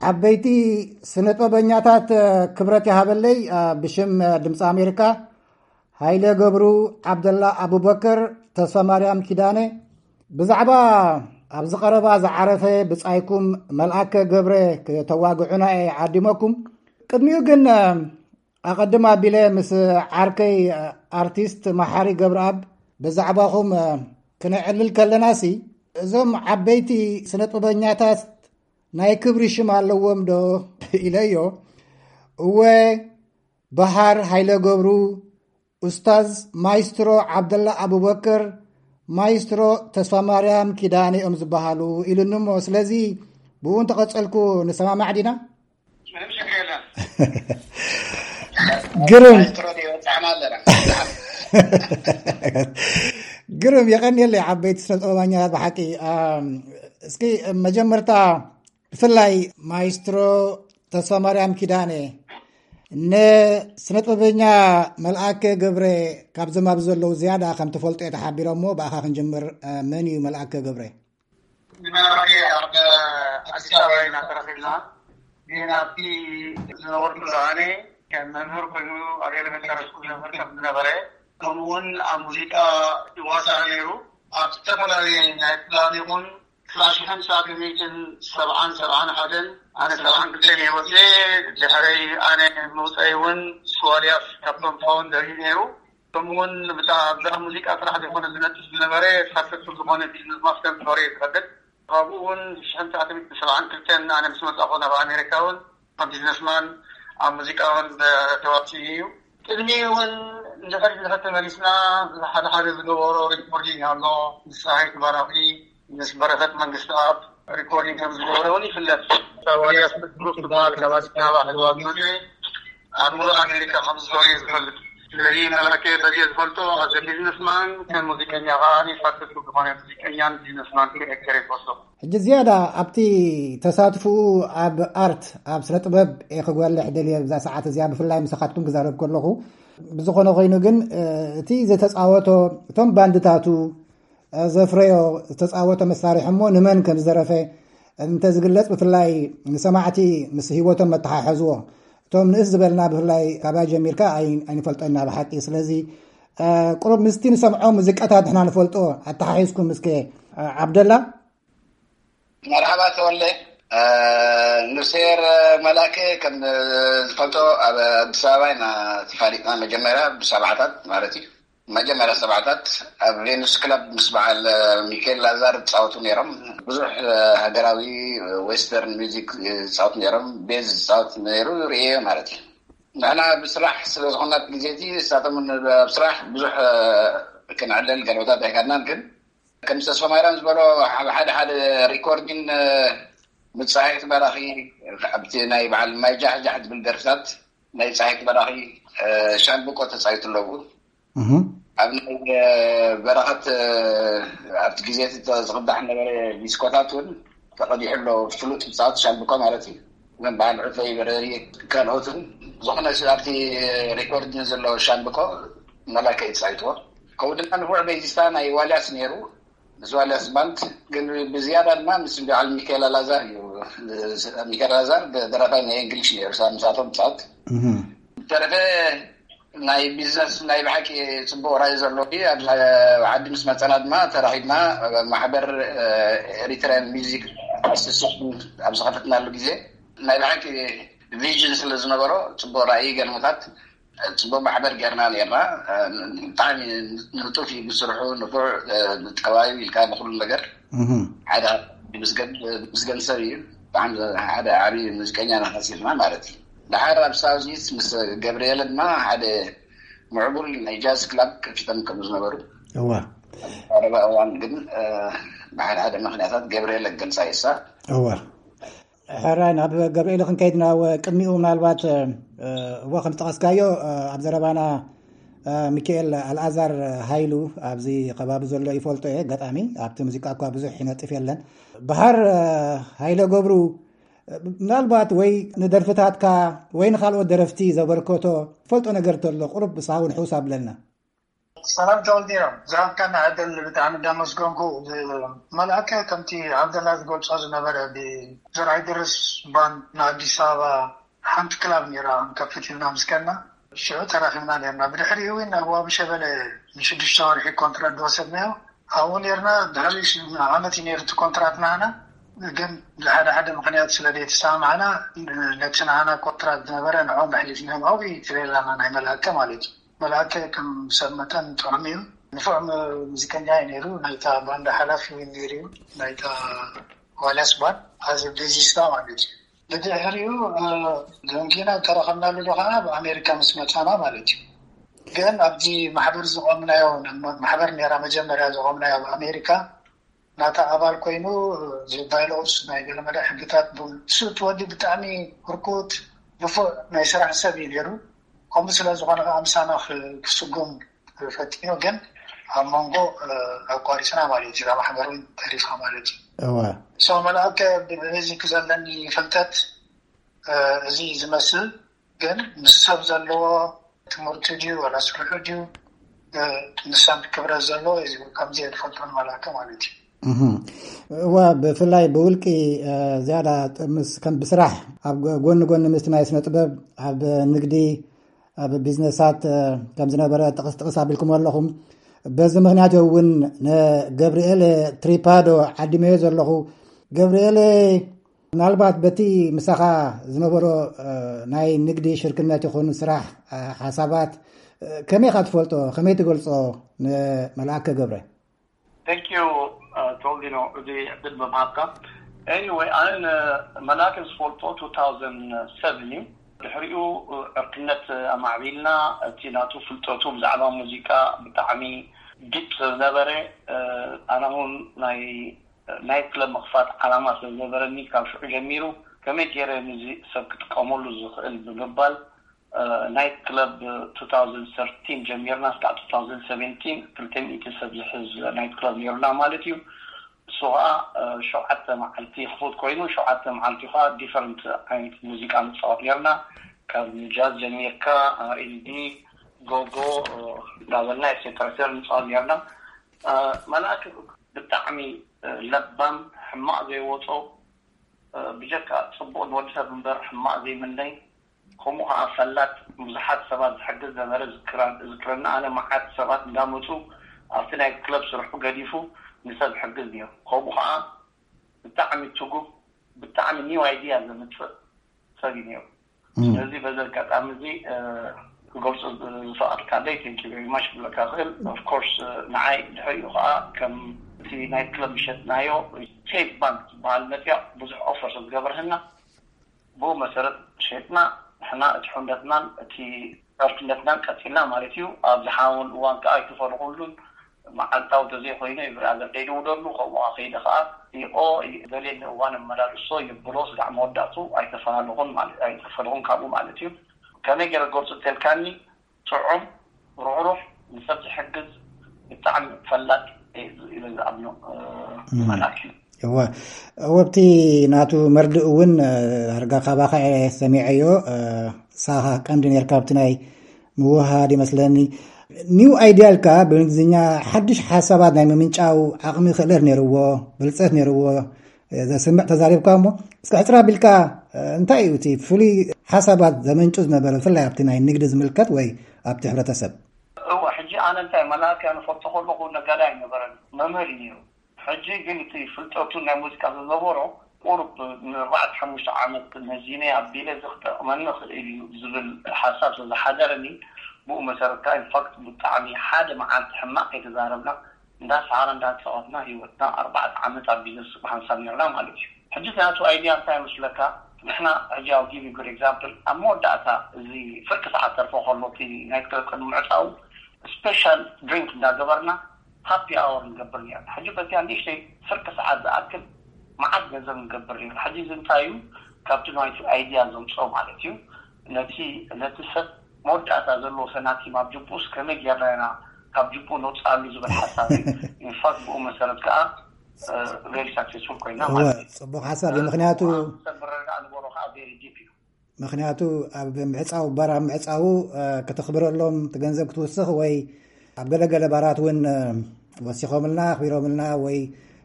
ዓበይቲ ስነጥበበኛታት ክብረት ይሃበለይ። ብሽም ድምፂ ኣሜሪካ፣ ሃይለ ገብሩ፣ ዓብደላ ኣቡበከር፣ ተስፋ ማርያም ኪዳነ፣ ብዛዕባ ኣብዚ ቀረባ ዝዓረፈ ብጻይኩም መልኣከ ገብረ ክተዋግዑና እየ ዓዲመኩም። ቅድሚኡ ግን ኣቐድም ኣቢለ ምስ ዓርከይ ኣርቲስት መሓሪ ገብረኣብ ብዛዕባኹም ክነዕልል ከለናሲ፣ እዞም ዓበይቲ ስነጥበበኛታት ናይ ክብሪ ሽም ኣለዎም ዶ ኢለዮ። እወ፣ በሃር ሃይለ ገብሩ፣ ኡስታዝ ማይስትሮ ዓብደላ ኣቡበከር፣ ማይስትሮ ተስፋ ማርያም ኪዳነ እዮም ዝበሃሉ ኢሉኒ እሞ፣ ስለዚ ብኡ እንተቐጸልኩ ንሰማማዕ ዲና? ምንም ችግር የለም። ግርም። ግርም፣ የቐንየለይ ዓበይቲ ስነ ጥበባኛታት ብሓቂ። እስኪ መጀመርታ ብፍላይ ማይስትሮ ተስፋ ማርያም ኪዳነ፣ ንስነ ጥበበኛ መልኣከ ገብረ ካብዞም ኣብዚ ዘለዉ ዝያዳ ከም ትፈልጦ እየ ተሓቢሮሞ፣ ብኣኻ ክንጅምር መን እዩ መልኣከ ገብረ? ንመራሒ ኣብ ኣዲስ ኣበባ ኢና ተረኺብና። ግን ኣብቲ ዝነበርኩ ዝኣነ ከም መምህር ኮይኑ ኣብ ኤሌመንታሪ ስኩል መምህር ከም ዝነበረ፣ ከምኡ እውን ኣብ ሙዚቃ ይዋሳእ ነይሩ። ኣብ ዝተፈላለየ ናይ ክላብ ይኹን ክላሽ ሓምሳ ክሚትን ሰብዓን ሰብዓን ሓደን ኣነ ሰብዓን ክልተን እየ ወፅየ። ድሕረይ ኣነ ምውፀይ እውን ስዋልያስ ካብቶም ፋውንደር እዩ ነይሩ። ከምኡውን ብታ ኣብዛ ሙዚቃ ጥራሕ ዘይኮነ ዝነጥፍ ዝነበረ ሳክሰስፉል ዝኾነ ቢዝነስ ማስተር ምኖረ እዩ ዝፈልጥ። ካብኡ እውን ሽሕን ትሽዓተ ሚእትን ሰብዓን ክልተን ኣነ ምስ መጻእኹ ናብ ኣሜሪካ እውን ከም ቢዝነስማን ኣብ ሙዚቃ እውን ተዋሲኡ እዩ። ቅድሚ እውን እንድሕር ድሕር ተመሊስና ሓደ ሓደ ዝገበሮ ሪኮርዲንግ ኣሎ ምስ ፀሃይ ትባራኺ ምስ በረኸት መንግስቲ ኣብ ሪኮርዲንግ ከም ዝገበረ እውን ይፍለጥ። ሳዋልያስ ብሩክ ዝበሃል ካብ ኣዲስ ኣበባ ሕልዋ ዝመፅእ ኣብ ሙሉእ ኣሜሪካ ከም ዝዞር እየ ዝፈልጥ። ስለዚ መላከ በዚ ዝፈልጦ ኣዘ ቢዝነስማን ከም ሙዚቀኛ ከዓ ሳክሰስፉል ዝኾነ ሙዚቀኛን ቢዝነስማን ክሪኤክተር ይፈልጦ። ሕጂ ዝያዳ ኣብቲ ተሳትፍኡ ኣብ ኣርት ኣብ ስነ ጥበብ እየ ክጎልሕ ደልየ ብዛ ሰዓት እዚኣ ብፍላይ ምሳኻትኩም ክዛረብ ከለኹ ብዝኾነ ኮይኑ ግን እቲ ዝተፃወቶ እቶም ባንድታቱ ዘፍረዮ ዝተፃወቶ መሳርሒ እሞ ንመን ከም ዝደረፈ እንተዝግለፅ ብፍላይ ንሰማዕቲ ምስ ህይወቶም መተሓሐዝዎ እቶም ንእስ ዝበልና ብፍላይ ካባይ ጀሚርካ ኣይንፈልጦና ብሓቂ ስለዚ ቁሩብ ምስቲ ንሰምዖ ሙዚቃታት ንሕና ንፈልጦ ኣተሓሒዝኩም እስከ ዓብደላ። መርሓባ ተወለ። ንሴር መላከ ከም ዝፈልጦ ኣብ ኣዲስ ኣበባ ኢና ተፋሊጥና መጀመርያ ብሰብዓታት ማለት እዩ። መጀመርያ ሰብዓታት ኣብ ቬኑስ ክለብ ምስ በዓል ሚካኤል ላዛር ዝፃወቱ ነይሮም። ብዙሕ ሃገራዊ ዌስተርን ሚዚክ ዝፃወቱ ነይሮም። ቤዝ ዝፃወት ነይሩ ርእየ ማለት እዩ። ንሕና ብስራሕ ስለ ዝኾና ግዜ እቲ ንሳቶም ኣብ ስራሕ ብዙሕ ክንዕለል ገለታት ኣይካድናን ግን ከም ተስፋ ማርያም ዝበሎ ኣብ ሓደ ሓደ ሪኮርዲን ምፃየት በራኺ ኣብቲ ናይ በዓል ማይ ጃሕጃሕ ዝብል ደርፍታት ናይ ፀሓይ በራኺ ሻምብቆ ተፃይቱ ኣለዉ። ኣብ ናይ በረኸት ኣብቲ ግዜ ዝቅዳሕ ነበረ ዲስኮታት እውን ተቀዲሑ ኣሎ። ፍሉጥ ብፃወት ሻምብቆ ማለት እዩ። ግን በዓል ዕፈይ በረሪ ካልኦትን ዝኾነ ኣብቲ ሪኮርድ ዘሎ ሻምብቆ መላከ ይፃይትዎ። ከምኡ ድማ ንፉዕ ቤዚስታ ናይ ዋልያስ ነይሩ። ምስ ዋልያስ ባንድ ግን ብዝያዳ ድማ ምስ በዓል ሚካኤል ኣላዛር እዩ። ሚካኤል ኣላዛር ደራፋይ ናይ እንግሊሽ ነይሩ ሳብ ምሳቶም ፃወት ተረፈ ናይ ቢዝነስ ናይ ብሓቂ ፅቡቅ ራእይ ዘለዎ እዩ። ኣብ ዓዲ ምስ መፀና ድማ ተራኺብና ማሕበር ኤሪትራያን ሚዚክ ኣሶሲሽን ኣብ ዝኸፈትናሉ ግዜ ናይ ብሓቂ ቪዥን ስለ ዝነበሮ ፅቡቅ ራእይ ገለመታት ፅቡቅ ማሕበር ጌርና ነርና። ብጣዕሚ ንጡፍ እዩ ብስርሑ ንፉዕ ጠባዩ ኢልካ ንኩሉ ነገር ሓደ ምስገን ሰብ እዩ። ብጣዕሚ ሓደ ዓብዪ ሙዚቀኛ ናኸሲርና ማለት እዩ። ድሓር ኣብ ሳውዚስ ምስ ገብርኤል ድማ ሓደ ምዕቡል ናይ ጃዝ ክላብ ከፊቶም ከም ዝነበሩ እዋ ቀረባ እዋን ግን ብሓደ ሓደ ምክንያታት ገብርኤል ገልፃ ይሳ እዋ ሕራይ ናብ ገብርኤል ክንከይድ ናብ ቅድሚኡ ምናልባት እዋ ከም ዝጠቐስካዮ ኣብ ዘረባና ሚካኤል ኣልኣዛር ሃይሉ ኣብዚ ከባቢ ዘሎ ይፈልጦ እየ። ኣጋጣሚ ኣብቲ ሙዚቃ እኳ ብዙሕ ይነጥፍ የለን። በሃር ሃይለ ገብሩ ምናልባት ወይ ንደርፍታትካ ወይ ንካልኦት ደረፍቲ ዘበርከቶ ፈልጦ ነገር ተሎ ቁሩብ ብሳውን ሕውስ ኣብለና። ሰላም ተወልዲኖም፣ ዝሃብካና ዕድል ብጣዕሚ እንዳመስገንኩ፣ መልኣከ ከምቲ ዓብደላ ዝገልጾ ዝነበረ ብዘርኣይ ድርስ ባንድ ንኣዲስ ኣበባ ሓንቲ ክላብ ነይራ፣ ከፍት ኢልና ምስከና ሽዑ ተራኺብና ነርና። ብድሕሪኡ እውን ኣብ ዋቢ ሸበለ ንሽዱሽተ ወርሒ ኮንትራት ዝወሰድናዮ ኣብኡ ነርና። ድሕሪ ዓመት እዩ ነይሩ እቲ ኮንትራት ናህና፣ ግን ብሓደ ሓደ ምክንያት ስለ ዘይተሰማማዕና ነቲ ናህና ኮንትራት ዝነበረ ንዕኦም ኣሕሊፍናዮም። ኣብኡ ተበላና ናይ መልኣከ ማለት እዩ። መልኣከ ከም ሰብ መጠን ጥዑም እዩ። ንፉዕ ሙዚቀኛ እዩ ነይሩ። ናይታ ባንዳ ሓላፊ እውን ነይሩ እዩ። ናይታ ዋልያስ ባንድ ኣዚ ቤዚስታ ማለት እዩ። ብድሕሪኡ ደንጊና ተረኸብናሉ ከዓ ኣብ ኣሜሪካ ምስ መፃና ማለት እዩ። ግን ኣብዚ ማሕበር ዝቆምናዮ ማሕበር ነራ መጀመርያ ዝቆምናዮ ኣብ ኣሜሪካ ናታ ኣባል ኮይኑ ባይሎስ ናይ ገለመለ ሕግታት ብሱ እቲ ወዲ ብጣዕሚ ህርኩት ንፉዕ ናይ ስራሕ ሰብ እዩ ነይሩ። ከምኡ ስለ ዝኾነ ከዓ ምሳና ክስጉም ፈቲኑ፣ ግን ኣብ መንጎ ኣቋሪፅና ማለት እዩ። ማሕበር እውን ተሪፋ ማለት እዩ። እወ። ሰው መልኣከ ብቤዚክ ዘለኒ ፍልጠት እዚ ዝመስል፣ ግን ምስ ሰብ ዘለዎ ትምህርቲ ድዩ ወላ ስርሑ ድዩ ንሳብ ክብረት ዘለዎ እዩ። ከምዚ የድፈልጦን መልኣከ ማለት እዩ። እዋ፣ ብፍላይ ብውልቂ ዝያዳ ምስ ከም ብስራሕ ኣብ ጎኒ ጎኒ ምስቲ ናይ ስነ ጥበብ ኣብ ንግዲ ኣብ ቢዝነሳት ከም ዝነበረ ጥቕስ ጥቕስ ኣቢልኩም ኣለኹም። በዚ ምክንያት እውን ንገብርኤል ትሪፓዶ ዓዲመዮ ዘለኹ። ገብርኤል፣ ምናልባት በቲ ምሳኻ ዝነበሮ ናይ ንግዲ ሽርክነት ይኹን ስራሕ ሓሳባት ከመይ ኢኻ ትፈልጦ? ከመይ ትገልጾ ንመልኣከ ገብረ? Thank you ተወልዲኖ፣ እዚ ዕድል ብምሃብካ። Anyway፣ ኣነ ንመልኣከ ዝፈልጦ two thousand seven እዩ። ድሕሪኡ ዕርክነት ኣማዕቢልና፣ እቲ ናቱ ፍልጠቱ ብዛዕባ ሙዚቃ ብጣዕሚ ዲፕ ስለዝነበረ፣ ኣነ እውን ናይ ናይት ክለብ ምኽፋት ዓላማ ስለዝነበረኒ፣ ካብ ሽዑ ጀሚሩ ከመይ ገይረ ንዚ ሰብ ክጥቀመሉ ዝኽእል ብምባል ናይት ክለብ two thousand thirteen ጀሚርና እስካዕ two thousand seventeen ክልተ ሚእቲ ሰብ ዝሕዝ ናይት ክለብ ነይሩና ማለት እዩ። እሱ ከዓ ሸውዓተ መዓልቲ ክፉት ኮይኑ፣ ሸውዓተ መዓልቲ ከዓ ዲፈረንት ዓይነት ሙዚቃ ንፃወት ነይርና። ካብ ጃዝ ጀሚርካ፣ ኤልዲ፣ ጎጎ እንዳበልና ኤክሴትራ ንፃወት ነይርና። መልኣክ ብጣዕሚ ለባም፣ ሕማቕ ዘይወፆ፣ ብጀካ ፅቡቕ ንወዲ ሰብ እምበር ሕማቕ ዘይምነይ፣ ከምኡ ከዓ ፈላጥ፣ ብዙሓት ሰባት ዝሕግዝ ነበረ። ዝክረና ኣነ መዓት ሰባት እንዳመፁ ኣብቲ ናይ ክለብ ስርሑ ገዲፉ ንሰብ ሕግዝ ነይሩ። ከምኡ ከዓ ብጣዕሚ ትጉህ፣ ብጣዕሚ ኒው ኣይድያ ዘምፅእ ሰብ እዩ ነይሩ። ስለዚ በዚ ኣጋጣሚ እዚ ክገልፁ ዝፈቐድካለይ thank you very much ክብለካ ክእል። Of course ንዓይ ድሕሪኡ ከዓ ከም እቲ ናይ ክለብ ዝሸጥናዮ ሴፍ ባንክ ዝበሃል መፅያ ብዙሕ ኦፈር ስለ ዝገበርህና ብኡ መሰረት ሸጥና ንሕና እቲ ሕውነትናን እቲ ዕርክነትናን ቀፂልና ማለት እዩ። ኣብ ዝሓወን እዋን ከዓ ኣይተፈለኹሉን መዓልታዊ ተዘይኮይኑ ብራዘር ደይደውለሉ ከምኡ ከይደ ከዓ ይቆ ዘልየኒ እዋን እመላልሶ ይብሎ ስጋዕ መወዳእቱ ኣይተፈላለኹን ማለት ኣይተፈለኹን ካብኡ ማለት እዩ። ከመይ ገይረ ገርፁ ተልካኒ ጥዑም ሩሕሩሕ ንሰብ ዝሕግዝ ብጣዕሚ ፈላጥ ኢለ ዝኣምኖ መልኣክ እዩ። እወ እወ ኣብቲ ናቱ መርድእ እውን ኣርጋ ካባኻ እየ ሰሚዐዮ። ሳኻ ቀንዲ ነርካ ኣብቲ ናይ ምውሃድ ይመስለኒ። ኒው ኣይድያ ኢልካ ብእንግሊዝኛ ሓድሽ ሓሳባት ናይ ምምንጫው ዓቕሚ ክእለት ነይርዎ፣ ብልፀት ነይርዎ ዘስምዕ ተዛሪብካ እሞ እስኪ ሕፅር ኣቢልካ እንታይ እዩ እቲ ፍሉይ ሓሳባት ዘመንጩ ዝነበረ ብፍላይ ኣብቲ ናይ ንግዲ ዝምልከት ወይ ኣብቲ ሕብረተሰብ? እወ ሕጂ ኣነ እንታይ መላእክያ ንፈልጦ ከለኹ ነጋዳይ ኣይነበረን መምህር እዩ ነይሩ። ሕጂ ግን እቲ ፍልጠቱ ናይ ሙዚቃ ዝነበሮ ቁሩብ ንኣርባዕተ ሓሙሽተ ዓመት መዚነ ኣቢለ እዚ ክጠቕመኒ ይኽእል እዩ ዝብል ሓሳብ ስለዝሓደረኒ ብኡ መሰረት ከዓ ኢንፋክት ብጣዕሚ ሓደ መዓልቲ ሕማቕ ከይተዛረብና እንዳሰዓረ እንዳተፃወትና ህይወትና ኣርባዕተ ዓመት ኣብ ቢዝነስ ብሓንሳብ ነርና ማለት እዩ። ሕጂ እቲ ናቱ ኣይድያ እንታይ ይመስለካ? ንሕና ሕጂ ኣብ give you good example ኣብ መወዳእታ እዚ ፍርቂ ሰዓት ተርፎ ከሎ እቲ ናይት ክለብ ቅድሚ ምዕፃው ስፔሻል ድሪንክ እንዳገበርና ሃፒ ኣወር ንገብር ነርና። ሕጂ በዚኣ ንእሽተይ ፍርቂ ሰዓት ዝኣክል መዓት ገንዘብ ንገብር ነርና። ሕጂ እዚ እንታይ እዩ? ካብቲ ናይቲ ኣይድያ ዘምፅኦ ማለት እዩ። ነቲ ነቲ ሰብ መወዳእታ ዘለዎ ሰናቲም ኣብ ጅቡኡስ ከመይ ጌርና ኢና ካብ ጅቡኡ ነውፅኣሉ ዝብል ሓሳብ እዩ። ኢንፋክት ብኡ መሰረት ከዓ ቨሪ ሳክሴስፉል ኮይና ማለት እዩ። ፅቡቅ ሓሳብ እዩ። ምክንያቱ ሰብ ምረዳእ ንበሮ ከዓ ቨሪ ዲፕ እዩ። ምክንያቱ ኣብ ምዕፃው ባር ኣብ ምዕፃው ከተኽብረሎም እቲ ገንዘብ ክትውስኽ ወይ ኣብ ገለገለ ባራት እውን ወሲኾምልና ኣኽቢሮምልና ወይ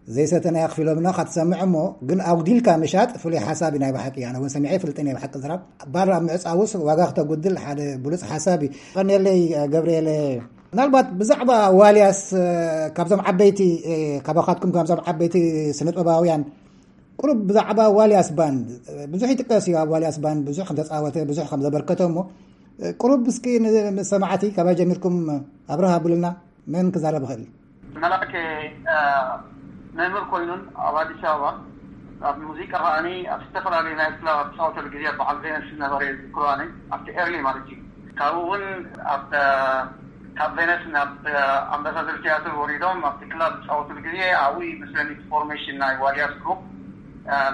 ዘይሰተና ኣኽፊሎምልና ካትሰምዕ እሞ ግን ኣጉዲልካ ምሻጥ ፍሉይ ሓሳብ እዩ። ናይ ብሓቂ ኣነ እውን ሰሚዐ ይፍልጥን እየ። ብሓቂ ዝራብ ባር ኣብ ምዕፃውስ ዋጋ ክተጉድል ሓደ ብሉፅ ሓሳብ እዩ። ቀኔለይ ገብርኤለ፣ ምናልባት ብዛዕባ ዋልያስ ካብዞም ዓበይቲ ካባኻትኩም ካብዞም ዓበይቲ ስነጥበባውያን ቁሩብ ብዛዕባ ዋልያስ ባንድ ብዙሕ ይጥቀስ እዩ። ኣብ ዋልያስ ባንድ ብዙሕ ከም ተፃወተ ብዙሕ ከም ዘበርከተ እሞ ቁሩብ እስኪ ንሰማዕቲ ካባይ ጀሚርኩም ኣብረሃ ብሉና። መን ክዛረብ ይኽእል? መላእከ መምህር ኮይኑን ኣብ ኣዲስ ኣበባ ኣብ ሙዚቃ ከዓኒ ኣብ ዝተፈላለዩ ናይ ክላብ ኣብ ዝፃወተሉ ግዜ በዓል ቬነስ ዝነበረ ዝክሮ ኣነ ኣብቲ ኤርሊ ማለት እዩ። ካብኡ እውን ኣብ ካብ ቬነስ ናብ ኣምባሳደር ቲያትር ወሪዶም ኣብቲ ክላብ ዝፃወትሉ ግዜ ኣብኡ ይመስለኒ ፎርሜሽን ናይ ዋልያስ ግሩፕ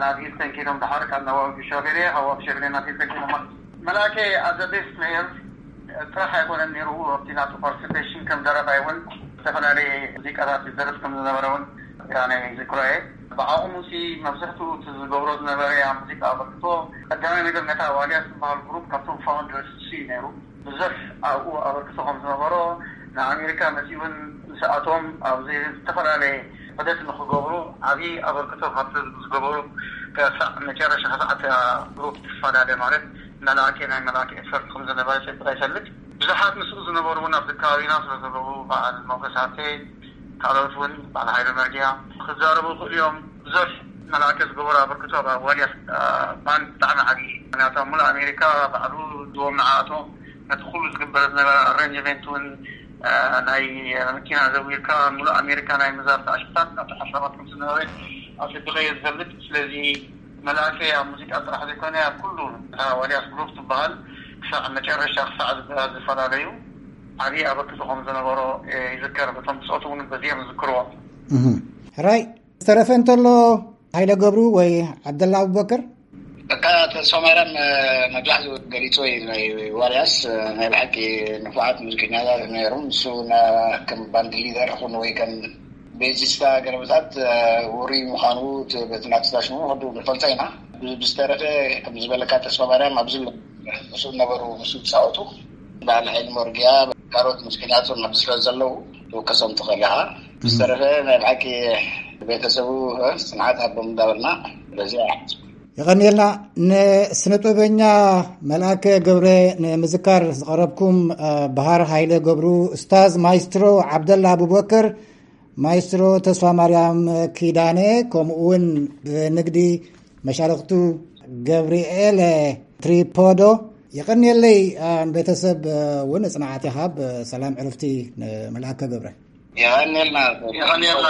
ናብ ሂልተን ከይዶም ድሓር ካብ ናብ ዋቢ ሸበሌ ካብ ዋቢ ሸበሌ ናብ ሂልተን ከይዶም ማለት እዩ። መላእከ ኣዘ ቤስት ፕሌየር ጥራሕ ኣይኮነን ነይሩ ኣብቲ ናቱ ፓርቲሲፔሽን ከም ደረፋይ እውን ዝተፈላለየ ሙዚቃታት ዝደርፍ ከም ዝነበረ እውን ናይ ዝክሮ እየ። ብዓቕሙ ሲ መብዝሕትኡ እቲ ዝገብሮ ዝነበረ ኣብ ሙዚቃ ኣበርክቶ ቀዳማይ ነገር ነታ ዋልያስ ዝበሃል ግሩፕ ካብቶም ፋውንደርስ ሲ ነይሩ። ብዙሕ ኣብኡ ኣበርክቶ ከም ዝነበሮ ንኣሜሪካ መፂኡ እውን ምስኣቶም ኣብዚ ዝተፈላለየ ዑደት ንክገብሩ ዓብዪ ኣበርክቶ ካብቲ ዝገበሩ ክሳዕ መጨረሻ ክሳዕ እታ ግሩፕ ትፈላለ ማለት መላእከ ናይ መላእከ ኤፈርት ከም ዝነበረ ጭብጥ ኣይፈልጥ። ብዙሓት ምስኡ ዝነበሩ እውን ኣብዚ ከባቢና ስለ ዘለዉ በዓል ሞገስ ሃብተ ካልኦት እውን በዓል ሃይለ መርጊያ ክዛረቡ ይኽእሉ እዮም። ብዙሕ መላእከ ዝገበሩ ኣበርክቶ ኣብ ዋልያስ ባንድ ብጣዕሚ ዓብዪ እዩ። ምክንያቱ ኣብ ሙሉእ ኣሜሪካ ባዕሉ ዝዎም ንዓኣቶም ነቲ ኩሉ ዝግበር ዝነበረ ኣረንጅመንት እውን ናይ መኪና ዘዊርካ ሙሉእ ኣሜሪካ ናይ ምዛር ተኣሽታት ናብቲ ሓሳባት ከም ዝነበረ ኣሰቢቐ እየ ዝፈልጥ። ስለዚ መላእከ ኣብ ሙዚቃ ጥራሕ ዘይኮነ ኣብ ኩሉ እታ ዋልያስ ግሩፕ ትበሃል ክሳዕ መጨረሻ ክሳዕ ዝበሃል ዝፈላለዩ ዓብዪ ኣበርክቶ ከም ዝነበሮ ይዝከር። በቶም ብፆቱ እውን በዚኦም ዝዝክርዎ። ሕራይ ዝተረፈ እንተሎ ሃይለ ገብሩ ወይ ዓብደላ ኣቡበከር? በቃ ተስፋ ማርያም መብዛሕትኡ ገሊፅዎ እዩ። ናይ ዋልያስ ናይ ብሓቂ ንፉዓት ሙዚቀኛታት ነይሮም። ንሱ ከም ባንድ ሊደር ይኹን ወይ ከም ቤዚስታ ገለመታት ውሩይ ምዃኑ በቲ ናትስታ ሽሙ ወዱ ንፈልጦ ኢና። ብዝተረፈ ከም ዝበለካ ተስፋ ማርያም ኣብዚ ምስኡ ነበሩ ምስኡ ዝፃወቱ በዓል ሓይሊ መርጊያ ካልኦት ሙዚቀኛታት ኣብዚ ስለ ዘለዉ ትውከሶም ትኽእል ኢኻ። ብዝተረፈ ናይ ብሓቂ ቤተሰቡ ፅንዓት ሃቦም እንዳበልና በዚ። የቐንየልና። ንስነጥበበኛ መልኣከ ገብረ ንምዝካር ዝቐረብኩም በሃር ሃይለ ገብሩ፣ እስታዝ ማይስትሮ ዓብደላ ኣቡበከር፣ ማይስትሮ ተስፋ ማርያም ኪዳነ፣ ከምኡ እውን ብንግዲ መሻርክቱ ገብርኤል ትሪፖዶ። የቐንየለይ። ንቤተሰብ እውን ጽንዓት ይሃብ። ሰላም ዕርፍቲ ንመልኣከ ገብረ። የቐንየልና። የቐንየልና።